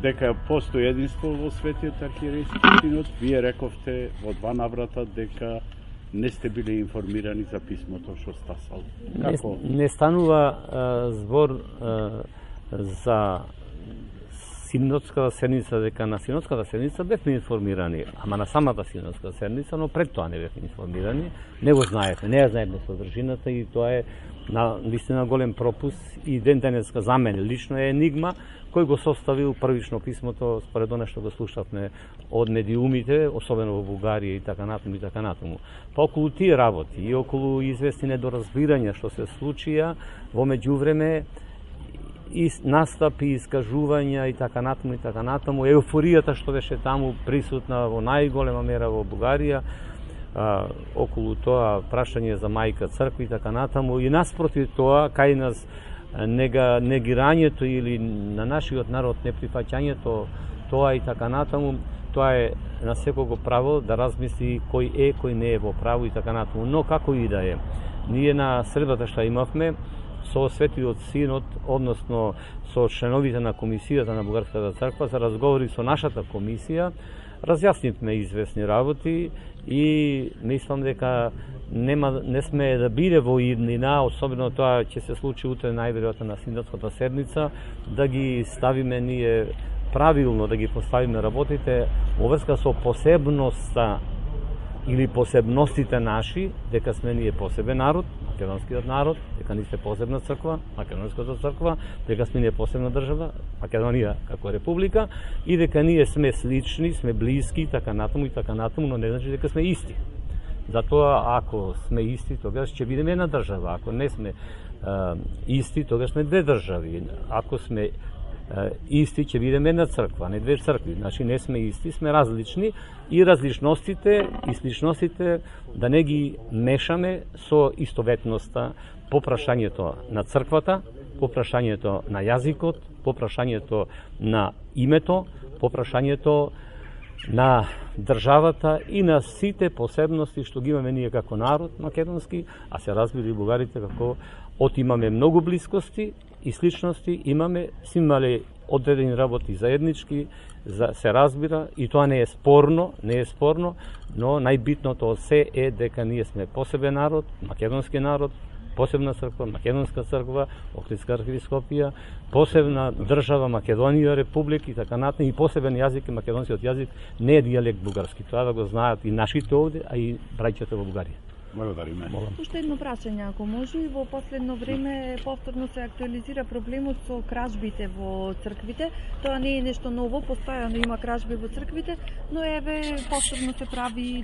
дека постои единство во Светиот архиерейски синод. Вие рековте во 2 наврата дека не сте били информирани за писмото што стасало. Како? Не станува збор за синодската седница, дека на синодската седница бевме информирани, ама на самата синодска седница, но пред тоа не бевме информирани. Не го знаете, не ја знаеме содржината и тоа е наистина голем пропуст и ден денеска за мене лично е енигма кој го составил првично писмото според она што го слушавме од медиумите, особено во Бугарија и така натаму и така натаму. Па околу тие работи и околу известни недоразбирања што се случија во меѓувреме и настапи, искажувања и така натаму, еуфоријата што беше таму присутна во најголема мера во Бугарија, околу тоа прашање за мајка црква и така натаму, и наспротив тоа, кај нас негирањето или на нашиот народ неприфаќањето, тоа и така натаму, тоа е на секого право да размисли кој е, кој не е во право и така натаму. Но како и да е, ние на средбата што имавме со Светиот Синод, односно со членовите на комисијата на Бугарската црква, за разговори со нашата комисија, разјаснивме известни работи и мислам дека не сме да биде во иднина, особено тоа ќе се случи утре најверојатно на синдатската седница, да ги ставиме ние правилно, да ги поставиме работите во врска со посебноста или посебностите наши, дека сме ние посебен народ, македонскиот народ, дека ние сме посебна црква, македонската црква, дека сме ние посебна држава, Македонија како република, и дека ние сме слични, сме блиски, така натаму и така натаму, но не значи дека сме исти. Затоа, ако сме исти, тогаш ќе бидеме една држава. Ако не сме исти, тогаш сме две држави. Ако сме исти, ќе бидеме една црква, не две цркви. Значи, не сме исти, сме различни и различностите и сличностите да не ги мешаме со истоветноста по прашањето на црквата, по прашањето на јазикот, по прашањето на името, по прашањето на државата и на сите посебности што ги имаме ние како народ македонски, а се разбира и бугарите како имаме многу блискости и сличности, сме имали одредени работи заеднички, се разбира и тоа не е спорно, но најбитното се е дека ние сме посебен народ, македонски народ, посебна црква, македонска црква, Охридска архиепископија, посебна држава Македонија, република и така натаму, и посебен јазик, и македонскиот јазик не е дијалект бугарски. Тоа да го знаат и нашите овде, а и браќата во Бугарија. Благодариме. Уште едно прашање, ако може. Во последно време повторно се актуализира проблемот со кражбите во црквите. Тоа не е нешто ново, постојано има кражби во црквите, но еве повторно се прави